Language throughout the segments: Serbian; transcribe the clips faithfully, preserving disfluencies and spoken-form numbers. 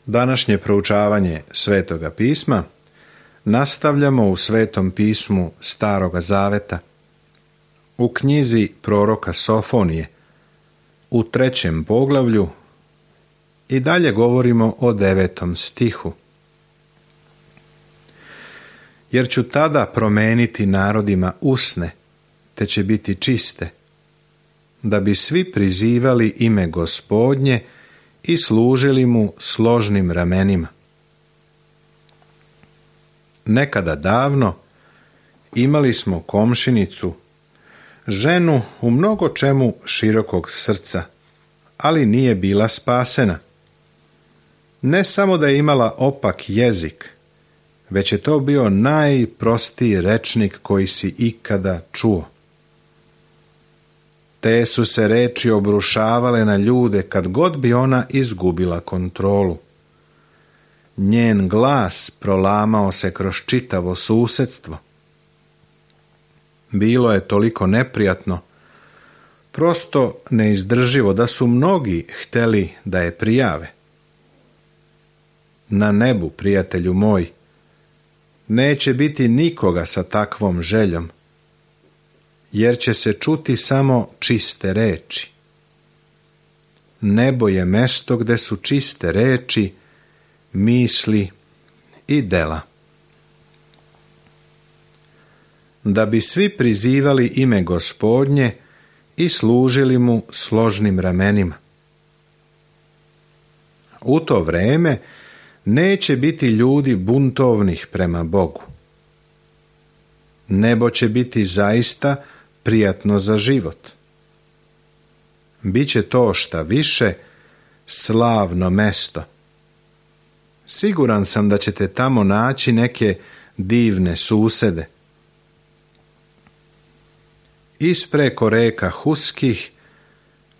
Današnje proučavanje Svetoga pisma nastavljamo u Svetom pismu Staroga Zaveta, u knjizi proroka Sofonije, u trećem poglavlju i dalje govorimo o devetom stihu. Jer ću tada promeniti narodima usne, te će biti čiste, da bi svi prizivali ime Gospodnje i služili mu složnim ramenima. Nekada davno imali smo komšinicu, ženu u mnogo čemu širokog srca, ali nije bila spasena. Ne samo da je imala opak jezik, već je to bio najprostiji rečnik koji si ikada čuo. Te su se reči obrušavale na ljude kad god bi ona izgubila kontrolu. Njen glas prolamao se kroz čitavo susjedstvo. Bilo je toliko neprijatno, prosto neizdrživo, da su mnogi htjeli da je prijave. Na nebu, prijatelju moj, neće biti nikoga sa takvom željom, jer će se čuti samo čiste reči. Nebo je mesto gde su čiste reči, misli i dela. Da bi svi prizivali ime Gospodnje i služili mu složnim ramenima. U to vreme neće biti ljudi buntovnih prema Bogu. Nebo će biti zaista prijatno za život. Biće to šta više slavno mesto. Siguran sam da ćete tamo naći neke divne susede. Ispreko reka Huskih,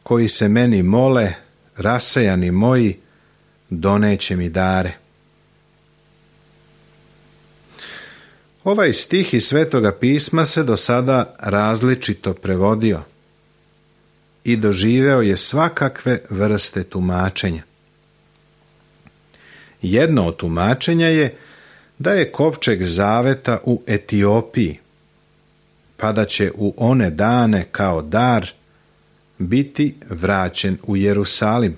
koji se meni mole, rasejani moji, doneće mi dare. Ovaj stih iz Svetoga pisma se do sada različito prevodio i doživeo je svakakve vrste tumačenja. Jedno od tumačenja je da je kovčeg zaveta u Etiopiji, pa da će u one dane kao dar biti vraćen u Jerusalim.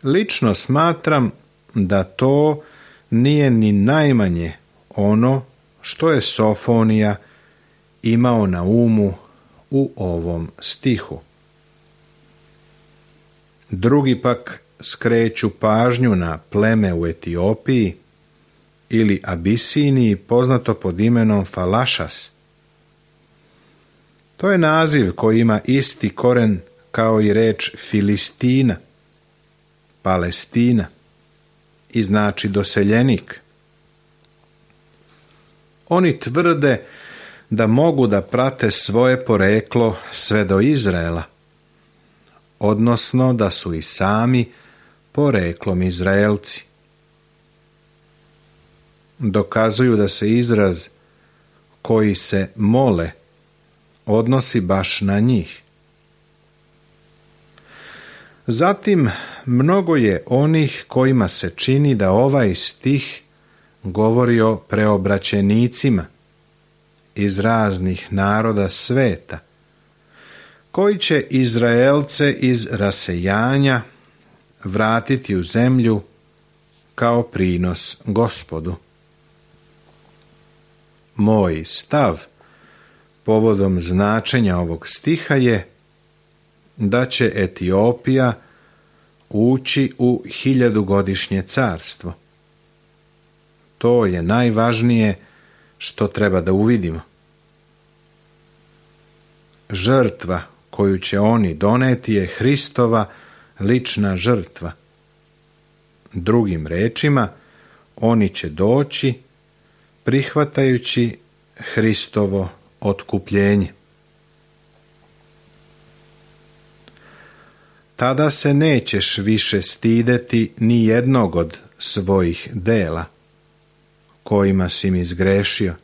Lično smatram da to nije ni najmanje ono što je Sofonija imao na umu u ovom stihu. Drugi pak skreću pažnju na pleme u Etiopiji ili Abisiniji, poznato pod imenom Falašas. To je naziv koji ima isti koren kao i reč Filistina, Palestina, i znači doseljenik. Oni tvrde da mogu da prate svoje poreklo sve do Izraela, odnosno da su i sami poreklom Izraelci. Dokazuju da se izraz koji se mole odnosi baš na njih. Zatim, mnogo je onih kojima se čini da ovaj stih govori o preobraćenicima iz raznih naroda sveta, koji će Izraelce iz rasejanja vratiti u zemlju kao prinos Gospodu. Moj stav povodom značenja ovog stiha je da će Etiopija ući u hiljadugodišnje carstvo. To je najvažnije što treba da uvidimo. Žrtva koju će oni doneti je Hristova lična žrtva. Drugim rečima, oni će doći prihvatajući Hristovo otkupljenje. Tada se nećeš više stideti ni jednog od svojih dela, kojima si mi zgrešio.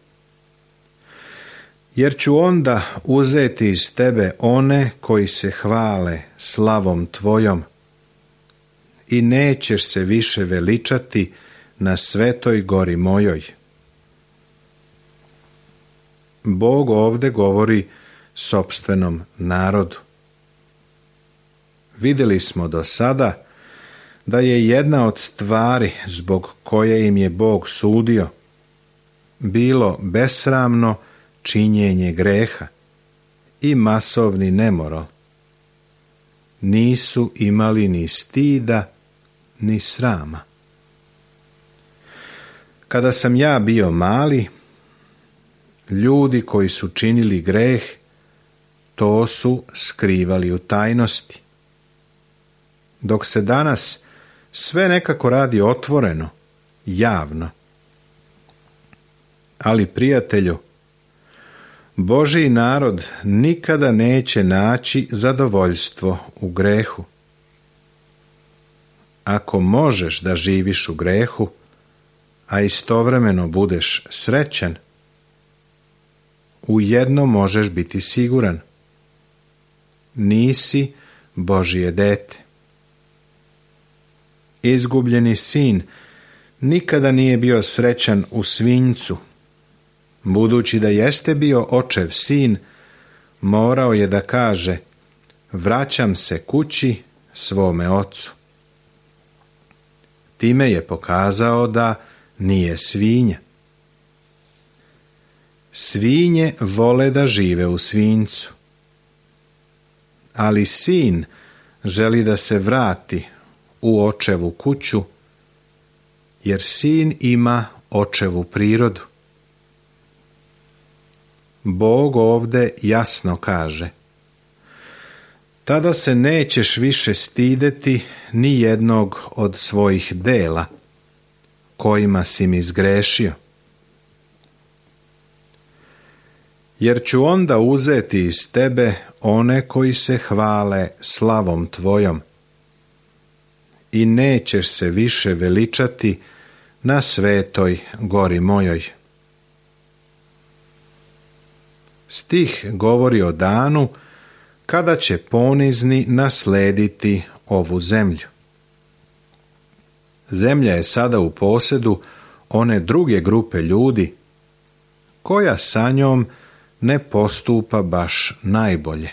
Jer ću onda uzeti iz tebe one koji se hvale slavom tvojom i nećeš se više veličati na svetoj gori mojoj. Bog ovdje govori sopstvenom narodu. Vidjeli smo do sada da je jedna od stvari zbog koje im je Bog sudio bilo besramno činjenje greha i masovni nemoral. Nisu imali ni stida ni srama. Kada sam ja bio mali, ljudi koji su činili greh, to su skrivali u tajnosti. Dok se danas sve nekako radi otvoreno, javno. Ali, prijatelju, Božji narod nikada neće naći zadovoljstvo u grehu. Ako možeš da živiš u grehu, a istovremeno budeš srećan, u jedno možeš biti siguran. Nisi Božje dete. Izgubljeni sin nikada nije bio srećan u svinjcu. Budući da jeste bio očev sin, morao je da kaže: vraćam se kući svome ocu. Time je pokazao da nije svinja. Svinje vole da žive u svinjcu, ali sin želi da se vrati u očevu kuću, jer sin ima očevu prirodu. Bog ovdje jasno kaže: tada se nećeš više stideti ni jednog od svojih dela kojima si mi zgrešio. Jer ću onda uzeti iz tebe one koji se hvale slavom tvojom i nećeš se više veličati na svetoj gori mojoj. Stih govori o danu kada će ponizni naslediti ovu zemlju. Zemlja je sada u posjedu one druge grupe ljudi koja sa njom ne postupa baš najbolje.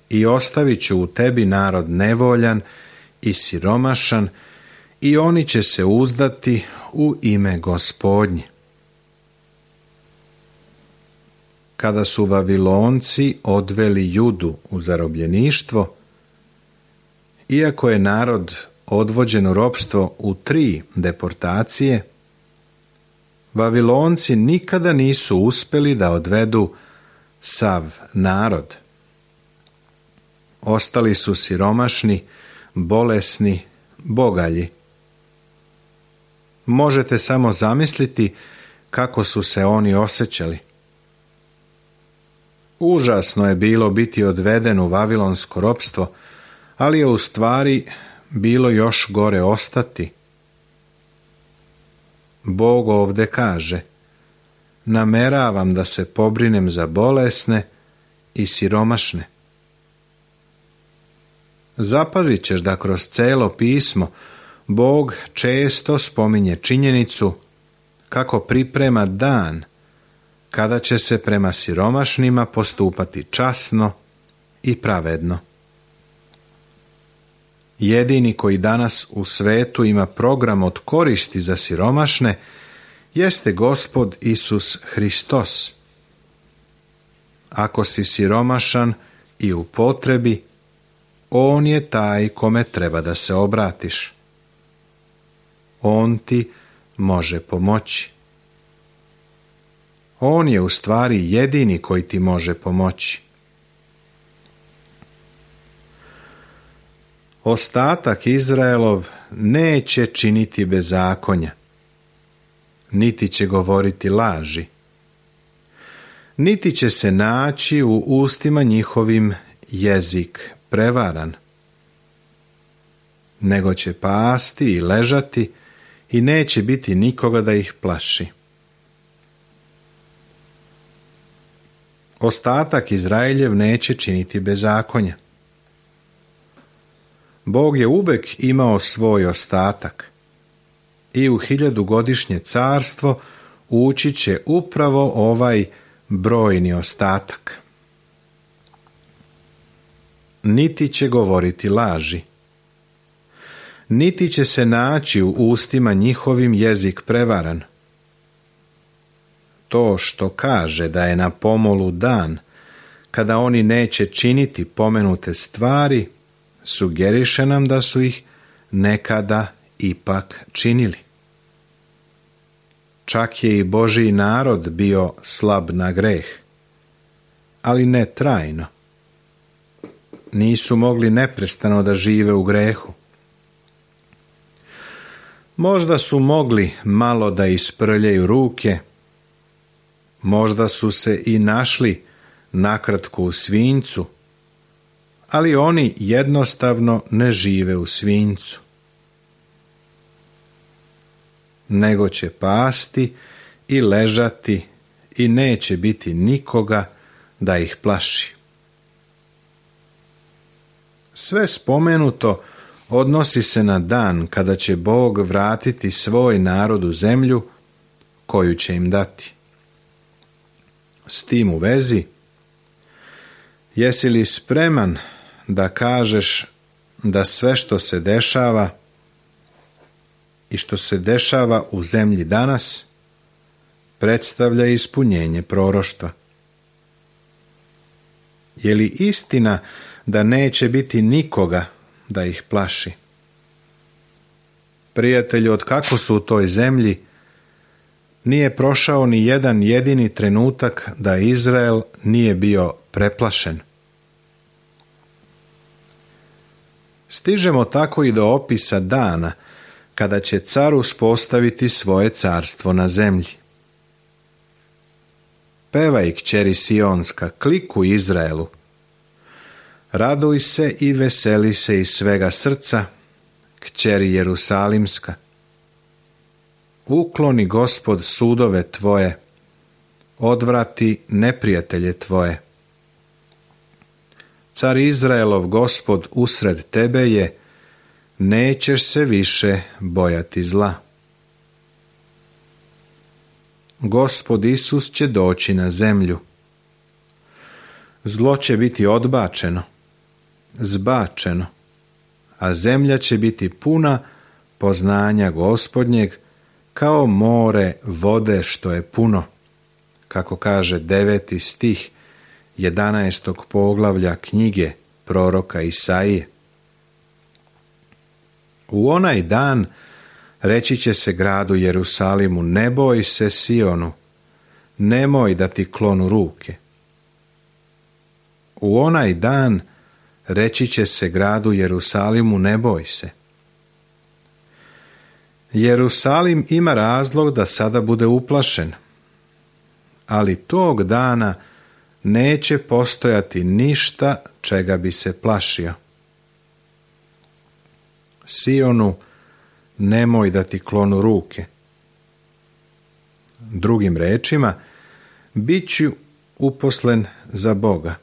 I ostavit ću u tebi narod nevoljan i siromašan, i oni će se uzdati u ime Gospodnje. Kada su Vavilonci odveli Judu u zarobljeništvo, iako je narod odvođen u ropstvo u tri deportacije, Vavilonci nikada nisu uspjeli da odvedu sav narod. Ostali su siromašni, bolesni, bogalji. Možete samo zamisliti kako su se oni osjećali. Užasno je bilo biti odveden u vavilonsko ropstvo, ali je u stvari bilo još gore ostati. Bog ovdje kaže: nameravam da se pobrinem za bolesne i siromašne. Zapazit ćeš da kroz celo pismo Bog često spominje činjenicu kako priprema dan kada će se prema siromašnima postupati časno i pravedno. Jedini koji danas u svetu ima program od koristi za siromašne jeste Gospod Isus Hristos. Ako si siromašan i u potrebi, On je taj kome treba da se obratiš. On ti može pomoći. On je u stvari jedini koji ti može pomoći. Ostatak Izraelov neće činiti bezakonja, niti će govoriti laži, niti će se naći u ustima njihovim jezik prevaran, nego će pasti i ležati i neće biti nikoga da ih plaši. Ostatak Izraeljev neće činiti bezakonja. Bog je uvek imao svoj ostatak i u hiljadugodišnje carstvo ući će upravo ovaj brojni ostatak. Niti će govoriti laži, niti će se naći u ustima njihovim jezik prevaran. To što kaže da je na pomolu dan, kada oni neće činiti pomenute stvari, sugeriše nam da su ih nekada ipak činili. Čak je i Božji narod bio slab na greh, ali ne trajno. Nisu mogli neprestano da žive u grehu. Možda su mogli malo da isprljaju ruke, možda su se i našli nakratko u svinjcu, ali oni jednostavno ne žive u svinjcu, nego će pasti i ležati i neće biti nikoga da ih plaši. Sve spomenuto odnosi se na dan kada će Bog vratiti svoj narod u zemlju koju će im dati. S tim u vezi, jesi li spreman da kažeš da sve što se dešava i što se dešava u zemlji danas predstavlja ispunjenje proroštva? Je li istina da neće biti nikoga da ih plaši? Prijatelju, od kako su u toj zemlji, nije prošao ni jedan jedini trenutak da Izrael nije bio preplašen. Stižemo tako i do opisa dana kada će car uspostaviti svoje carstvo na zemlji. Pevaj, kćeri Sionska, kliku Izraelu. Raduj se i veseli se iz svega srca, kćeri Jerusalimska. Ukloni Gospod sudove tvoje, odvrati neprijatelje tvoje. Car Izraelov Gospod usred tebe je, nećeš se više bojati zla. Gospod Isus će doći na zemlju. Zlo će biti odbačeno, zbačeno, a zemlja će biti puna poznanja Gospodnjeg kao more vode što je puno, kako kaže deveti stih jedanaestog poglavlja knjige proroka Isaije. U onaj dan reći će se gradu Jerusalimu, ne boj se Sionu, nemoj da ti klonu ruke. U onaj dan reći će se gradu Jerusalimu, ne boj se. Jerusalim ima razlog da sada bude uplašen, ali tog dana neće postojati ništa čega bi se plašio. Sionu, nemoj da ti klonu ruke. Drugim rečima, bit ću uposlen za Boga.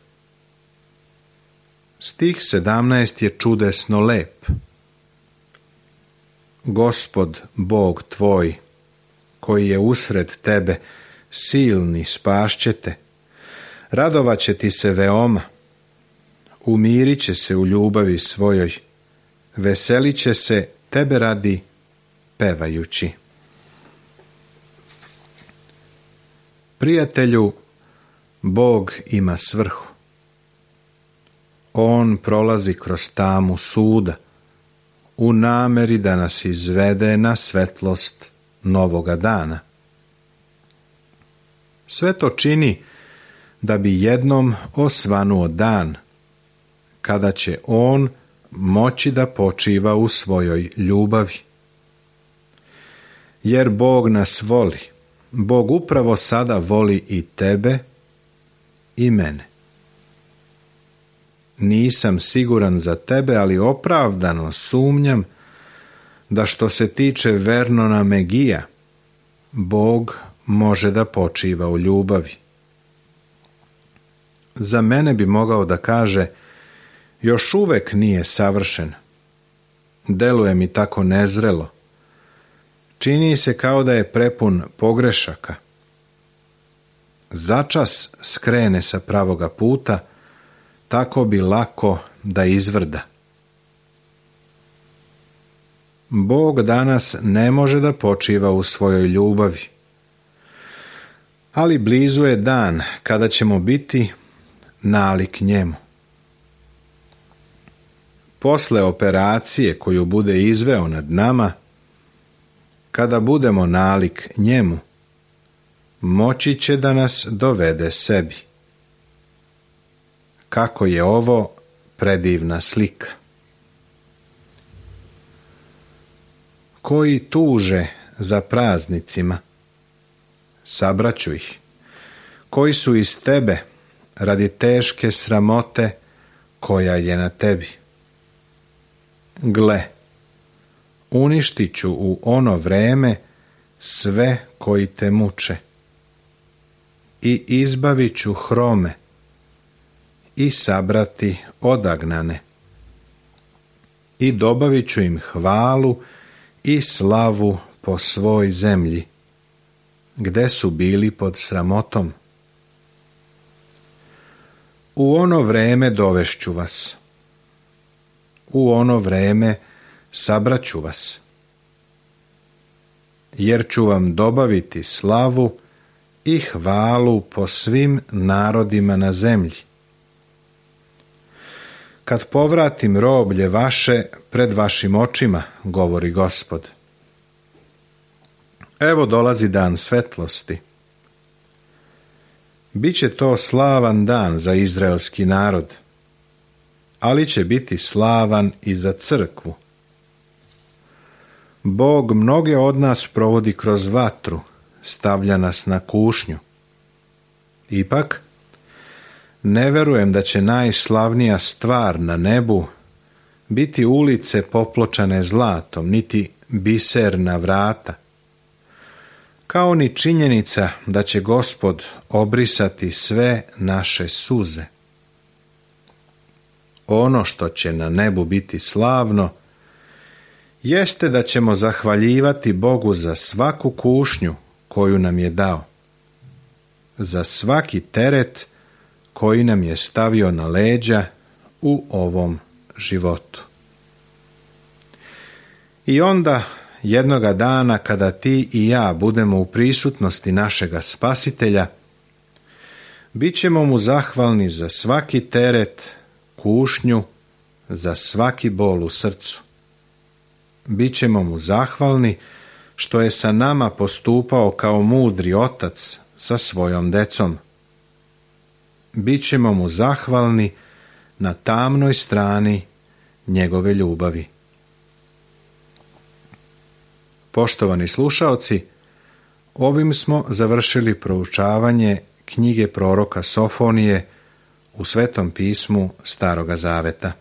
Stih sedamnaest je čudesno lep. Gospod, Bog tvoj, koji je usred tebe, silni spašće te, radovat će ti se veoma, umirit će se u ljubavi svojoj, veselit će se tebe radi pevajući. Prijatelju, Bog ima svrhu. On prolazi kroz tamu suda, u nameri da nas izvede na svetlost novoga dana. Sve to čini da bi jednom osvanuo dan, kada će on moći da počiva u svojoj ljubavi. Jer Bog nas voli, Bog upravo sada voli i tebe i mene. Nisam siguran za tebe, ali opravdano sumnjam da što se tiče Vernona Megija, Bog može da počiva u ljubavi. Za mene bi mogao da kaže, još uvek nije savršen, deluje mi tako nezrelo. Čini se kao da je prepun pogrešaka. Začas skrene sa pravoga puta, tako bi lako da izvrda. Bog danas ne može da počiva u svojoj ljubavi, ali blizu je dan kada ćemo biti nalik njemu. Posle operacije koju bude izveo nad nama, kada budemo nalik njemu, moći će da nas dovede sebi. Kako je ovo predivna slika. Koji tuže za praznicima, sabraću ih. Koji su iz tebe radi teške sramote koja je na tebi. Gle, uništit ću u ono vreme sve koji te muče i izbavit ću hrome i sabrati odagnane i dobavit ću im hvalu i slavu po svoj zemlji, gde su bili pod sramotom. U ono vreme dovešću vas, u ono vreme sabraću vas, jer ću vam dobaviti slavu i hvalu po svim narodima na zemlji. Kad povratim roblje vaše pred vašim očima, govori Gospod. Evo dolazi dan svetlosti. Biće to slavan dan za izraelski narod, ali će biti slavan i za crkvu. Bog mnoge od nas provodi kroz vatru, stavlja nas na kušnju. Ipak, ne verujem da će najslavnija stvar na nebu biti ulice popločane zlatom, niti biserna vrata, kao ni činjenica da će Gospod obrisati sve naše suze. Ono što će na nebu biti slavno jeste da ćemo zahvaljivati Bogu za svaku kušnju koju nam je dao, za svaki teret koji nam je stavio na leđa u ovom životu. I onda, jednoga dana kada ti i ja budemo u prisutnosti našega Spasitelja, bit ćemo mu zahvalni za svaki teret, kušnju, za svaki bol u srcu. Bićemo mu zahvalni što je sa nama postupao kao mudri otac sa svojom decom. Bićemo mu zahvalni na tamnoj strani njegove ljubavi. Poštovani slušaoci, ovim smo završili proučavanje knjige proroka Sofonije u Svetom pismu Staroga Zaveta.